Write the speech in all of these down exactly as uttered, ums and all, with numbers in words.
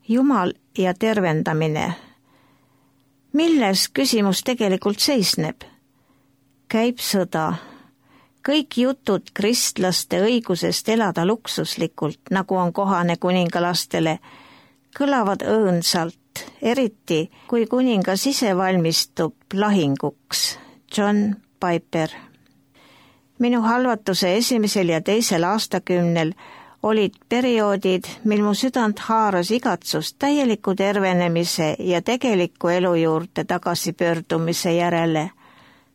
Jumal ja tervendamine. Milles küsimus tegelikult seisneb? Käib sõda. Kõik jutud kristlaste õigusest elada luksuslikult, nagu on kohane kuningalastele, kõlavad õõnsalt, eriti kui kuningas ise valmistub lahinguks. John Piper. Minu halvatuse esimesel ja teisel aastakümnel olid perioodid, mil mu südant haaras igatsust täieliku tervenemise ja tegeliku elu juurde tagasipöördumise järele.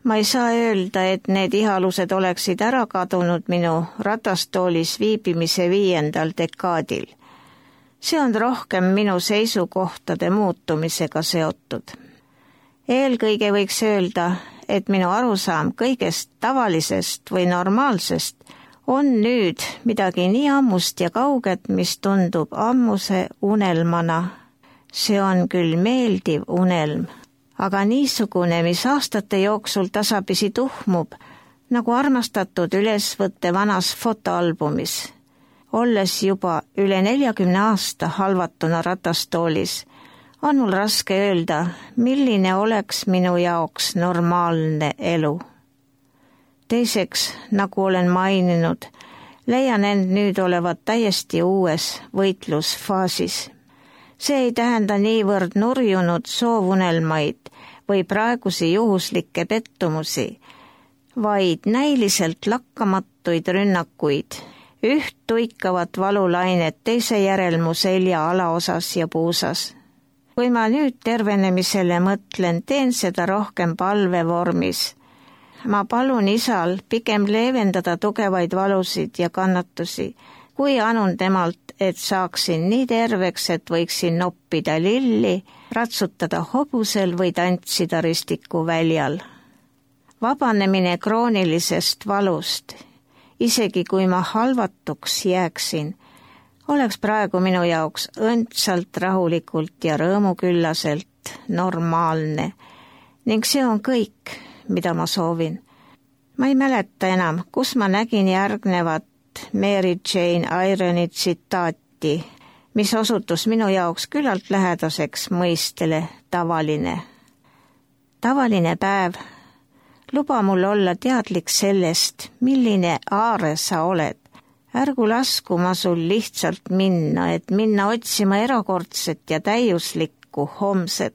Ma ei saa öelda, et need ihalused oleksid ära kadunud minu ratastoolis viibimise viiendal dekaadil. See on rohkem minu seisukohtade muutumisega seotud. Eelkõige võiks öelda, et minu arusaam kõigest tavalisest või normaalsest on nüüd midagi nii ammust ja kauget, mis tundub ammuse unelmana. See on küll meeldiv unelm, aga niisugune, mis aastate jooksul tasapisi tuhmub, nagu armastatud ülesvõtte vanas fotoalbumis. Olles juba üle neljakümne aasta halvatuna ratastoolis, on mul raske öelda, milline oleks minu jaoks normaalne elu. Teiseks, nagu olen maininud, leian end nüüd olevat täiesti uues võitlusfaasis. See ei tähenda niivõrd nurjunud soovunelmaid või praegusi juhuslikke pettumusi, vaid näiliselt lakkamatuid rünnakuid, üht tuikavat valulainet teise järel mu selja alaosas ja puusas. Kui ma nüüd tervenemisele mõtlen, teen seda rohkem palvevormis. Ma palun Isal pigem leevendada tugevaid valusid ja kannatusi, kui anun temalt, et saaksin nii terveks, et võiksin noppida lilli, ratsutada hobusel või tantsida ristiku väljal. Vabanemine kroonilisest valust, isegi kui ma halvatuks jääksin, oleks praegu minu jaoks õndsalt rahulikult ja rõõmuküllaselt normaalne ning see on kõik, mida ma soovin. Ma ei mäleta enam, kus ma nägin järgnevat Mary Jane Ironi tsitaati, mis osutus minu jaoks küllalt lähedaseks mõistele tavaline. Tavaline päev, luba mul olla teadlik sellest, milline aare sa oled. Ärgu lasku ma sul lihtsalt minna, et minna otsima erakordset ja täiuslikku homset.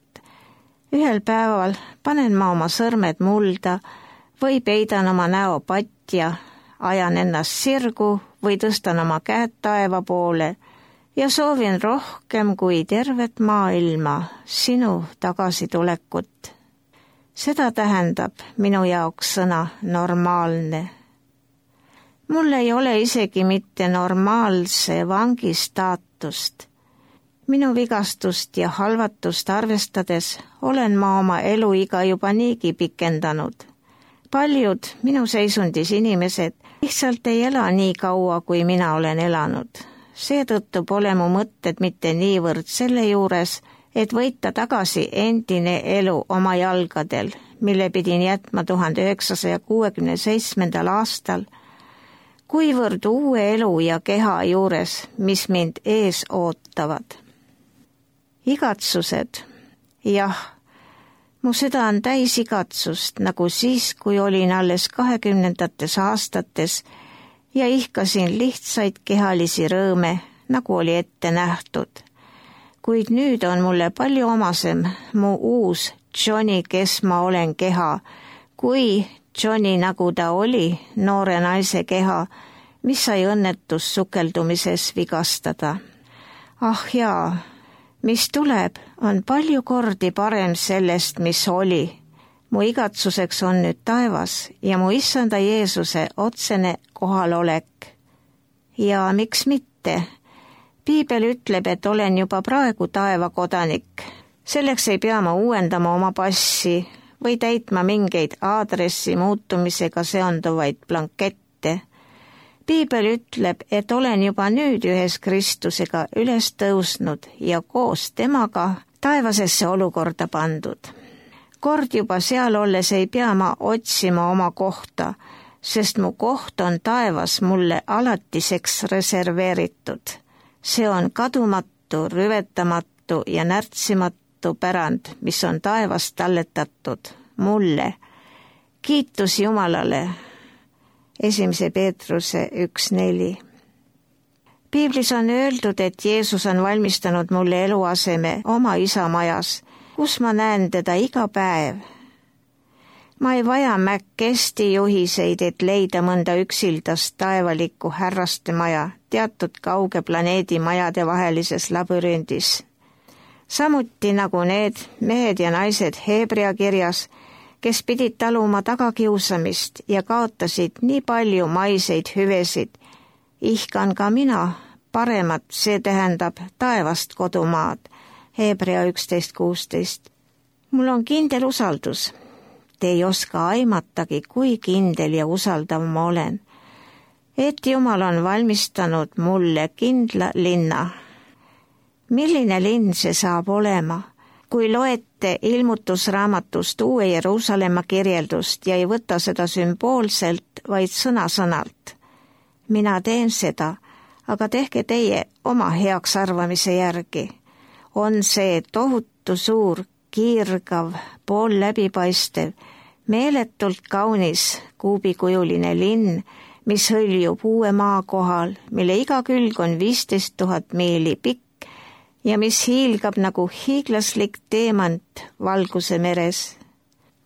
Ühel päeval panen ma oma sõrmed mulda või peidan oma näo patja, ajan ennast sirgu või tõstan oma käed taeva poole ja soovin rohkem kui tervet maailma sinu tagasitulekut. Seda tähendab minu jaoks sõna normaalne. Mul ei ole isegi mitte normaalse vangi staatust. Minu vigastust ja halvatust arvestades olen ma oma eluiga juba niigi pikendanud. Paljud minu seisundis inimesed lihtsalt ei ela nii kaua, kui mina olen elanud. Seetõttu pole mu mõtted mitte niivõrd selle juures, et võita tagasi endine elu oma jalgadel, mille pidin jätma tuhande üheksasaja kuuekümne seitsmendal aastal, kuivõrd uue elu ja keha juures, mis mind ees ootavad. Igatsused, jah, mu süda on täis igatsust, nagu siis, kui olin alles kahekümnendates aastates ja ihkasin lihtsaid kehalisi rõõme, nagu oli ette nähtud. Kuid nüüd on mulle palju omasem mu uus Johnny, kes ma olen keha, kui Johnny, nagu ta oli, noore naise keha, mis sai õnnetus sukeldumises vigastada. Ah jaa, mis tuleb, on palju kordi parem sellest, mis oli. Mu igatsuseks on nüüd taevas ja mu issanda Jeesuse otsene kohalolek. Ja miks mitte? Piibel ütleb, et olen juba praegu taeva kodanik. Selleks ei pea ma uuendama oma passi või täitma mingeid aadressi muutumisega seonduvaid blankette. Piibel ütleb, et olen juba nüüd ühes Kristusega üles tõusnud ja koos temaga taevasesse olukorda pandud. Kord juba seal olles ei pea ma otsima oma kohta, sest mu koht on taevas mulle alatiseks reserveeritud. See on kadumatu lõpmatu, rüvetamatu ja närtsimatu pärand, mis on taevast talletatud mulle. Kiitus Jumalale. Esimese Peetruse üks neli. Piiblis on öeldud, et Jeesus on valmistanud mulle eluaseme oma isa majas, kus ma näen teda iga päev. Ma ei vaja mäkkesti juhiseid, et leida mõnda üksildast taevalikku härraste maja teatud kauge planeedi majade vahelises labürindis. Samuti nagu need mehed ja naised Hebrea kirjas, kes pidid taluma tagakiusamist ja kaotasid nii palju maiseid hüvesid, ihkan ka mina paremat, see tähendab taevast kodumaad. Hebrea üksteist kuusteist. Mul on kindel usaldus. Te ei oska aimatagi, kui kindel ja usaldav ma olen, et Jumal on valmistanud mulle kindla linna. Milline linn see saab olema? Kui loete ilmutusraamatust Uue Jeruusalemma kirjeldust ja ei võta seda sümboolselt, vaid sõna-sõnalt. Mina teen seda, aga tehke teie oma heaks arvamise järgi. On see tohutu suur, kiirgav, pool läbipaistev, meeletult kaunis kuubikujuline linn, mis hõljub uue maa kohal, mille iga külg on viisteist tuhat miili pikk ja mis hiilgab nagu hiiglaslik teemant valguse meres.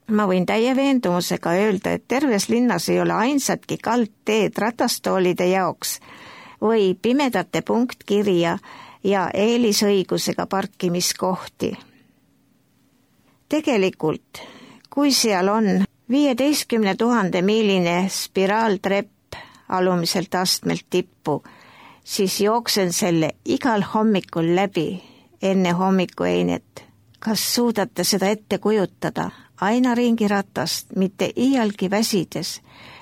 Ma võin täie veendumusega öelda, et terves linnas ei ole ainsatki kaldteed ratastoolide jaoks või pimedate punktkirja ja eelisõigusega parkimiskohti. Tegelikult, kui seal on viieteistkümne tuhande miiline spiraaltrepp alumiselt astmelt tippu, siis jooksen selle igal hommikul läbi enne hommikueinet. Kas suudate seda ette kujutada? Aina ringi ratast, mitte iialgi väsides,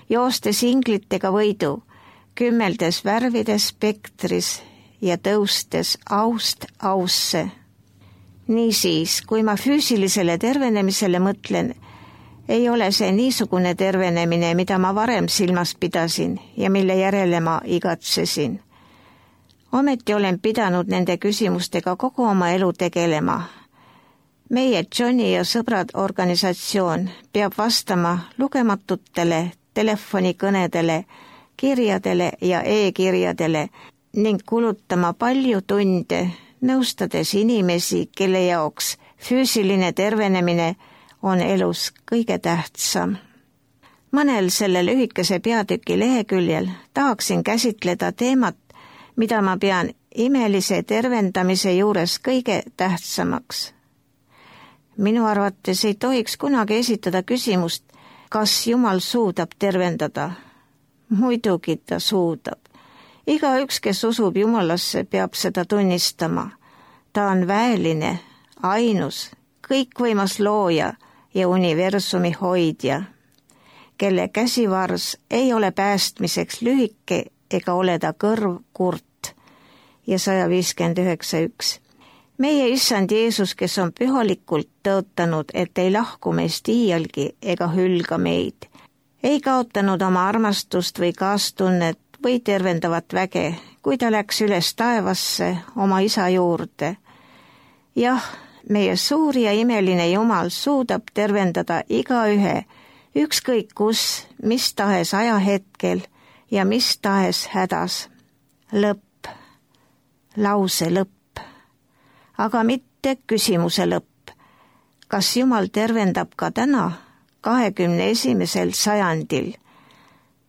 joostes inglitega võidu, kümmeldes värvides spektris ja tõustes aust ausse. Niisiis, kui ma füüsilisele tervenemisele mõtlen, ei ole see niisugune tervenemine, mida ma varem silmas pidasin ja mille järele ma igatsesin. Ometi olen pidanud nende küsimustega kogu oma elu tegelema. Meie Johnny ja sõbrad organisatsioon peab vastama lugematutele telefonikõnedele, kirjadele ja e-kirjadele ning kulutama palju tunde, nõustades inimesi, kelle jaoks füüsiline tervenemine on elus kõige tähtsam. Mõnel selle lühikese peatüki leheküljel tahaksin käsitleda teemat, mida ma pean imelise tervendamise juures kõige tähtsamaks. Minu arvates ei tohiks kunagi esitada küsimust, kas Jumal suudab tervendada. Muidugi ta suudab. Igaüks, kes usub Jumalasse, peab seda tunnistama. Ta on väeline, ainus, kõikvõimas looja ja universumi hoidja, kelle käsivars ei ole päästmiseks lühike ega ole ta kõrv kurt. Ja sada viiskümmend üheksa üks. Meie issand Jeesus, kes on pühalikult tõotanud, et ei lahku meist iialgi ega hülga meid, ei kaotanud oma armastust või kaastunnet või tervendavat väge, kui ta läks üles taevasse oma isa juurde. Jah, meie suur ja imeline Jumal suudab tervendada igaühe, ükskõik kus, mis tahes ajahetkel ja mis tahes hädas. Lõpp, lause lõpp, aga mitte küsimuse lõpp. Kas Jumal tervendab ka täna, kahekümne esimesel sajandil?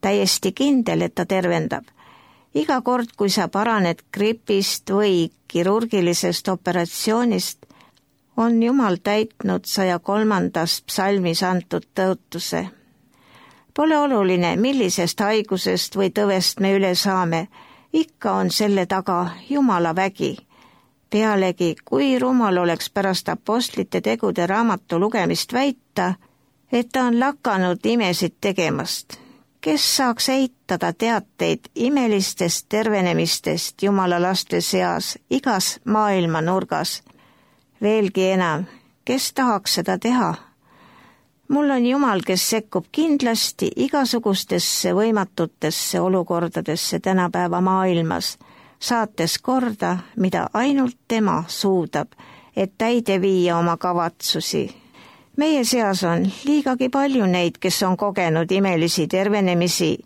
Täiesti kindel, et ta tervendab. Iga kord, kui sa paraned gripist või kirurgilisest operatsioonist, on Jumal täitnud saja kolmandast psalmis antud tõotuse. Pole oluline, millisest haigusest või tõvest me üle saame, ikka on selle taga Jumala vägi. Pealegi, kui rumal oleks pärast apostlite tegude raamatu lugemist väita, et ta on lakanud imesid tegemast. Kes saaks eitada teateid imelistest tervenemistest Jumala laste seas igas maailma nurgas? Veelgi enam, kes tahaks seda teha? Mul on Jumal, kes sekkub kindlasti igasugustesse võimatutesse olukordadesse tänapäeva maailmas, saates korda, mida ainult tema suudab, et täide viia oma kavatsusi. Meie seas on liigagi palju neid, kes on kogenud imelisi tervenemisi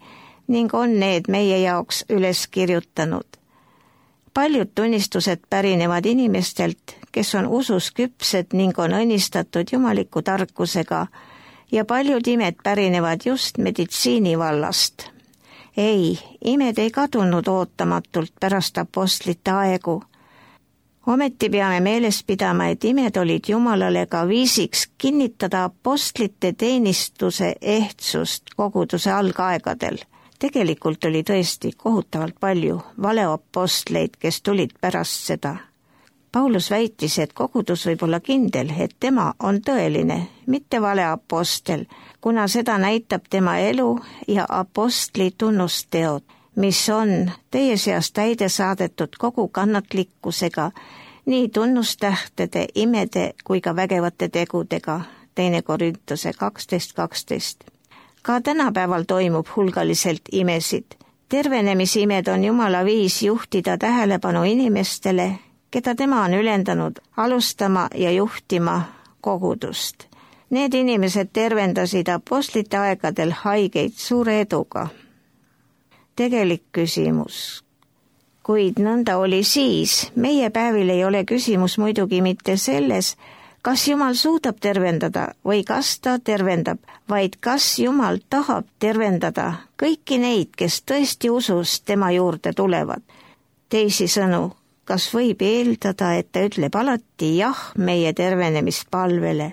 ning on need meie jaoks üles kirjutanud. Paljud tunnistused pärinevad inimestelt, kes on usus küpsed ning on õnnistatud jumaliku tarkusega ja paljud imed pärinevad just meditsiini vallast. Ei, imed ei kadunud ootamatult pärast apostlite aegu. Ometi peame meeles pidama, et imed olid Jumalale ka viisiks kinnitada apostlite teenistuse ehtsust koguduse algaegadel. Tegelikult oli tõesti kohutavalt palju valeapostleid, kes tulid pärast seda. Paulus väitis, et kogudus võib olla kindel, et tema on tõeline, mitte valeapostel, kuna seda näitab tema elu ja apostli tunnusteod, mis on teie seas täide saadetud kogu kannatlikkusega, nii tunnustähtede, imede kui ka vägevate tegudega, teine Korintuse kaksteist kaksteist. Ka tänapäeval toimub hulgaliselt imesid. Tervenemisimed on Jumala viis juhtida tähelepanu inimestele, keda tema on ülendanud alustama ja juhtima kogudust. Need inimesed tervendasid apostlite aegadel haigeid suure eduga. Tegelik küsimus. Kuid nõnda oli siis, meie päevil ei ole küsimus muidugi mitte selles, kas Jumal suudab tervendada või kas ta tervendab, vaid kas Jumal tahab tervendada kõiki neid, kes tõesti usus tema juurde tulevad. Teisisõnu, kas võib eeldada, et ta ütleb alati jah meie tervenemispalvele?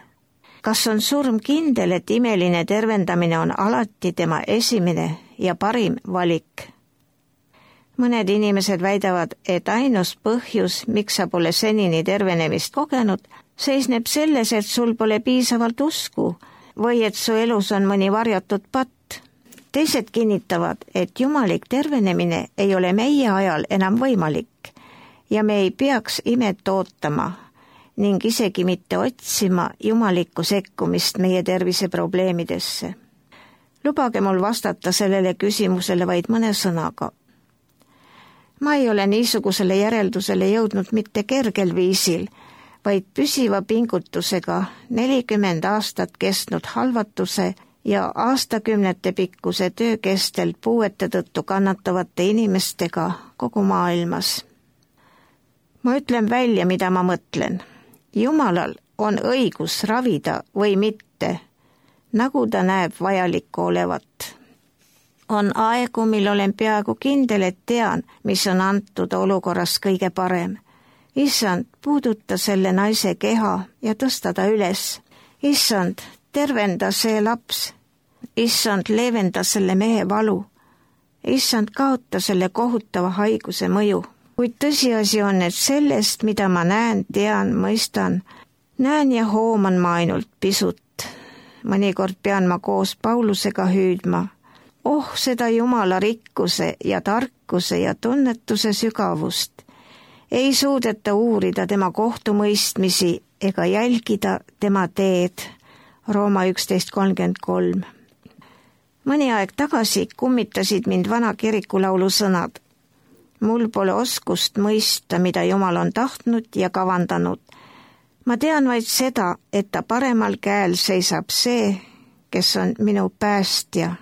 Kas on surm kindel, et imeline tervendamine on alati tema esimene ja parim valik? Mõned inimesed väidavad, et ainus põhjus, miks sa pole senini tervenemist kogenud, seisneb selles, et sul pole piisavalt usku või et su elus on mõni varjatud patt. Teised kinnitavad, et jumalik tervenemine ei ole meie ajal enam võimalik ja me ei peaks imet ootama ning isegi mitte otsima jumalikku sekkumist meie terviseprobleemidesse. Lubage mul vastata sellele küsimusele vaid mõne sõnaga. Ma ei ole niisugusele järeldusele jõudnud mitte kergel viisil, vaid püsiva pingutusega nelikümmend aastat kestnud halvatuse ja aastakümnete pikkuse töö kestel puuete tõttu kannatavate inimestega kogu maailmas. Ma ütlen välja, mida ma mõtlen. Jumalal on õigus ravida või mitte, nagu ta näeb vajalikku olevat. On aegu, mil olen peaaegu kindel, et tean, mis on antud olukorras kõige parem. Issand, puuduta selle naise keha ja tõsta ta üles. Issand, tervenda see laps. Issand, leevenda selle mehe valu. Issand, kaota selle kohutava haiguse mõju. Kuid tõsiasi on, et sellest, mida ma näen, tean, mõistan, näen ja hooman ma ainult pisut. Mõnikord pean ma koos Paulusega hüüdma. Oh, seda Jumala rikkuse ja tarkuse ja tunnetuse sügavust. Ei suudeta uurida tema kohtumõistmisi ega jälgida tema teed. Rooma üksteist kolmkümmend kolm. Mõni aeg tagasi kummitasid mind vana kirikulaulu sõnad. Mul pole oskust mõista, mida Jumal on tahtnud ja kavandanud. Ma tean vaid seda, et ta paremal käel seisab see, kes on minu päästja.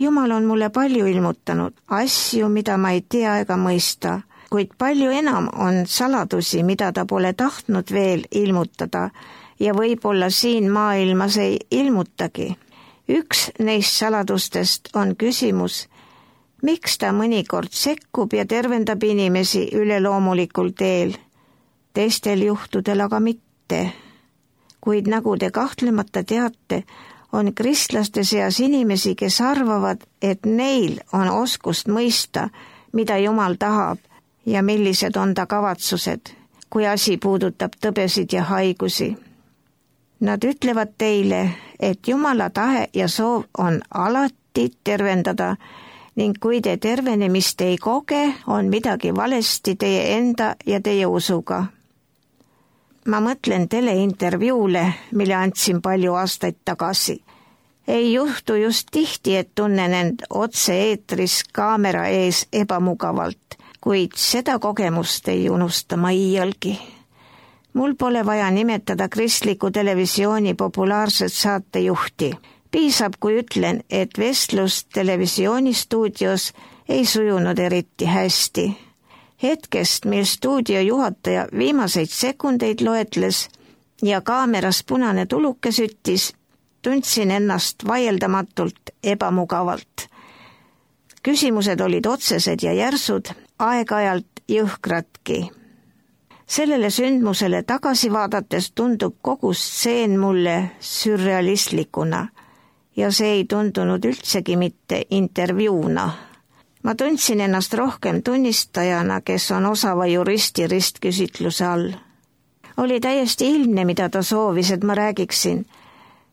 Jumal on mulle palju ilmutanud, asju, mida ma ei tea ega mõista, kuid palju enam on saladusi, mida ta pole tahtnud veel ilmutada ja võib-olla siin maailmas ei ilmutagi. Üks neist saladustest on küsimus, miks ta mõnikord sekkub ja tervendab inimesi üleloomulikul teel, teistel juhtudel aga mitte. Kuid nagu te kahtlemata teate, on kristlaste seas inimesi, kes arvavad, et neil on oskust mõista, mida Jumal tahab ja millised on ta kavatsused, kui asi puudutab tõbesid ja haigusi. Nad ütlevad teile, et Jumala tahe ja soov on alati tervendada ning kui te tervenemist ei koge, on midagi valesti teie enda ja teie usuga. Ma mõtlen teleintervjuule, mille andsin palju aastaid tagasi. Ei juhtu just tihti, et tunnen end otse-eetris kaamera ees ebamugavalt kuid seda kogemust ei unusta ma iialgi. Mul pole vaja nimetada kristliku televisiooni populaarset saatejuhti. Piisab, kui ütlen, et vestlus televisioonistuudios ei sujunud eriti hästi. Hetkest, mil stuudio juhataja viimaseid sekundeid loetles ja kaameras punane tuluke süttis, tundsin ennast vaieldamatult ebamugavalt. Küsimused olid otsesed ja järsud, aeg-ajalt jõhkradki. Sellele sündmusele tagasi vaadates tundub kogu stseen mulle sürrealistlikuna ja see ei tundunud üldsegi mitte intervjuuna. Ma tundsin ennast rohkem tunnistajana, kes on osava juristi ristküsitluse all. Oli täiesti ilmne, mida ta soovis, et ma räägiksin.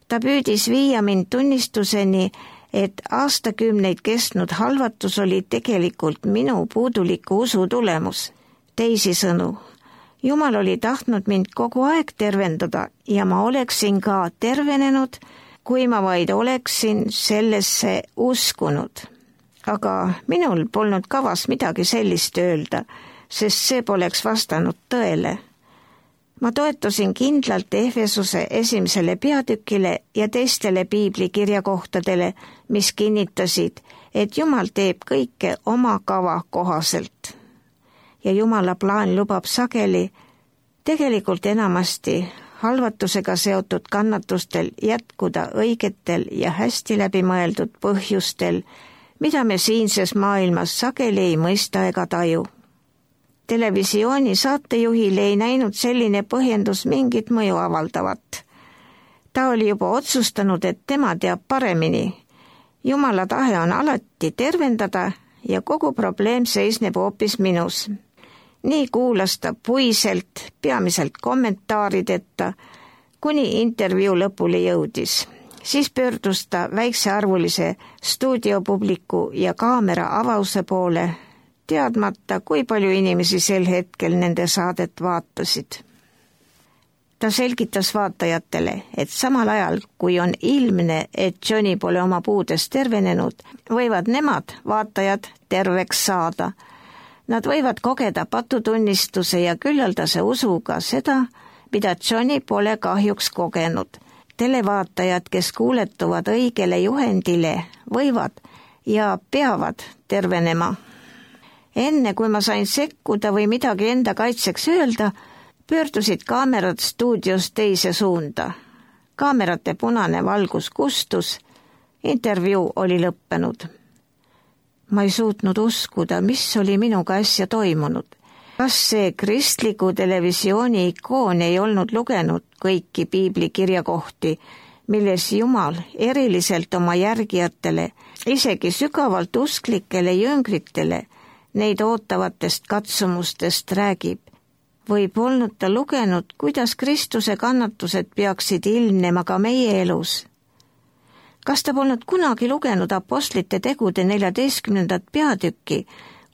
Ta püüdis viia mind tunnistuseni, et aastakümneid kestnud halvatus oli tegelikult minu puuduliku usu tulemus. Teisisõnu, Jumal oli tahtnud mind kogu aeg tervendada ja ma oleksin ka tervenenud, kui ma vaid oleksin sellesse uskunud. Aga minul polnud kavas midagi sellist öelda, sest see poleks vastanud tõele. Ma toetusin kindlalt Efesuse esimesele peatükile ja teistele piiblikirjakohtadele, mis kinnitasid, et Jumal teeb kõike oma kava kohaselt. Ja Jumala plaan lubab sageli, tegelikult enamasti halvatusega seotud kannatustel jätkuda õigetel ja hästi läbimõeldud põhjustel, mida me siinses maailmas sageli ei mõista ega taju. Televisiooni saatejuhil ei näinud selline põhjendus mingit mõju avaldavat. Ta oli juba otsustanud, et tema teab paremini. Jumala tahe on alati tervendada ja kogu probleem seisneb hoopis minus. Nii kuulas ta puiselt, peamiselt kommentaarideta, kuni intervjuu lõpule jõudis. Siis pöördus ta väiksearvulise stuudiopubliku ja kaamera avause poole, teadmata, kui palju inimesi sel hetkel nende saadet vaatasid. Ta selgitas vaatajatele, et samal ajal, kui on ilmne, et Johnny pole oma puudest tervenenud, võivad nemad, vaatajad, terveks saada. Nad võivad kogeda patutunnistuse ja küllaldase usuga seda, mida Johnny pole kahjuks kogenud. Televaatajad, kes kuuletuvad õigele juhendile, võivad ja peavad tervenema. Enne kui ma sain sekkuda või midagi enda kaitseks öelda, pöördusid kaamerad stuudios teise suunda. Kaamerate punane valgus kustus, intervjuu oli lõppenud. Ma ei suutnud uskuda, mis oli minuga äsja toimunud. Kas see kristliku televisiooni ikoon ei olnud lugenud kõiki piiblikirjakohti, milles Jumal eriliselt oma järgijatele, isegi sügavalt usklikele jüngritele, neid ootavatest katsumustest räägib? Või polnud ta lugenud, kuidas Kristuse kannatused peaksid ilmnema ka meie elus? Kas ta polnud kunagi lugenud apostlite tegude neljateistkümnendat peatükki,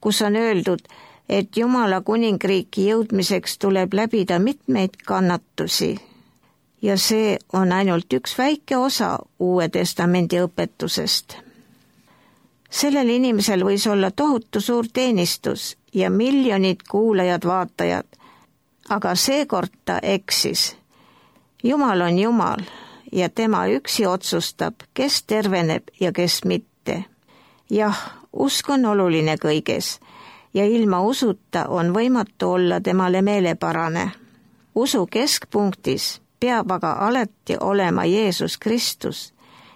kus on öeldud, et Jumala kuningriiki jõudmiseks tuleb läbida mitmeid kannatusi? Ja see on ainult üks väike osa Uue Testamendi õpetusest. Sellel inimesel võis olla tohutu suur teenistus ja miljonid kuulajad-vaatajad, aga seekord ta eksis. Jumal on Jumal ja tema üksi otsustab, kes terveneb ja kes mitte. Jah, usk on oluline kõiges ja ilma usuta on võimatu olla temale meeleparane. Usu keskpunktis peab aga alati olema Jeesus Kristus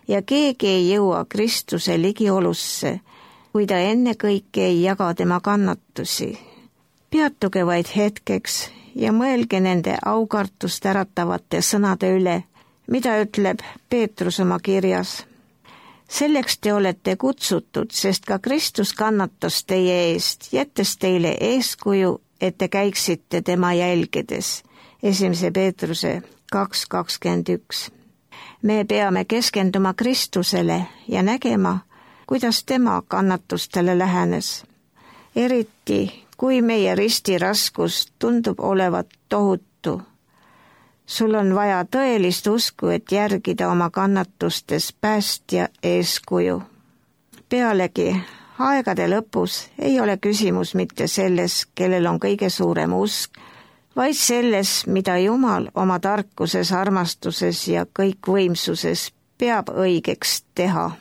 ja keegi ei jõua Kristuse ligiolusse, kui ta ennekõike ei jaga tema kannatusi. Peatuge vaid hetkeks ja mõelge nende aukartust äratavate sõnade üle, mida ütleb Peetrus oma kirjas. Selleks te olete kutsutud, sest ka Kristus kannatas teie eest, jättes teile eeskuju, et te käiksite tema jälgedes. Esimese Peetruse kaks kakskümmend üks. Me peame keskenduma Kristusele ja nägema, kuidas tema kannatustele lähenes. Eriti, kui meie risti raskus tundub olevat tohutu. Sul on vaja tõelist usku, et järgida oma kannatustes päästja eeskuju. Pealegi, aegade lõpus ei ole küsimus mitte selles, kellel on kõige suurem usk, vaid selles, mida Jumal oma tarkuses, armastuses ja kõikvõimsuses peab õigeks teha.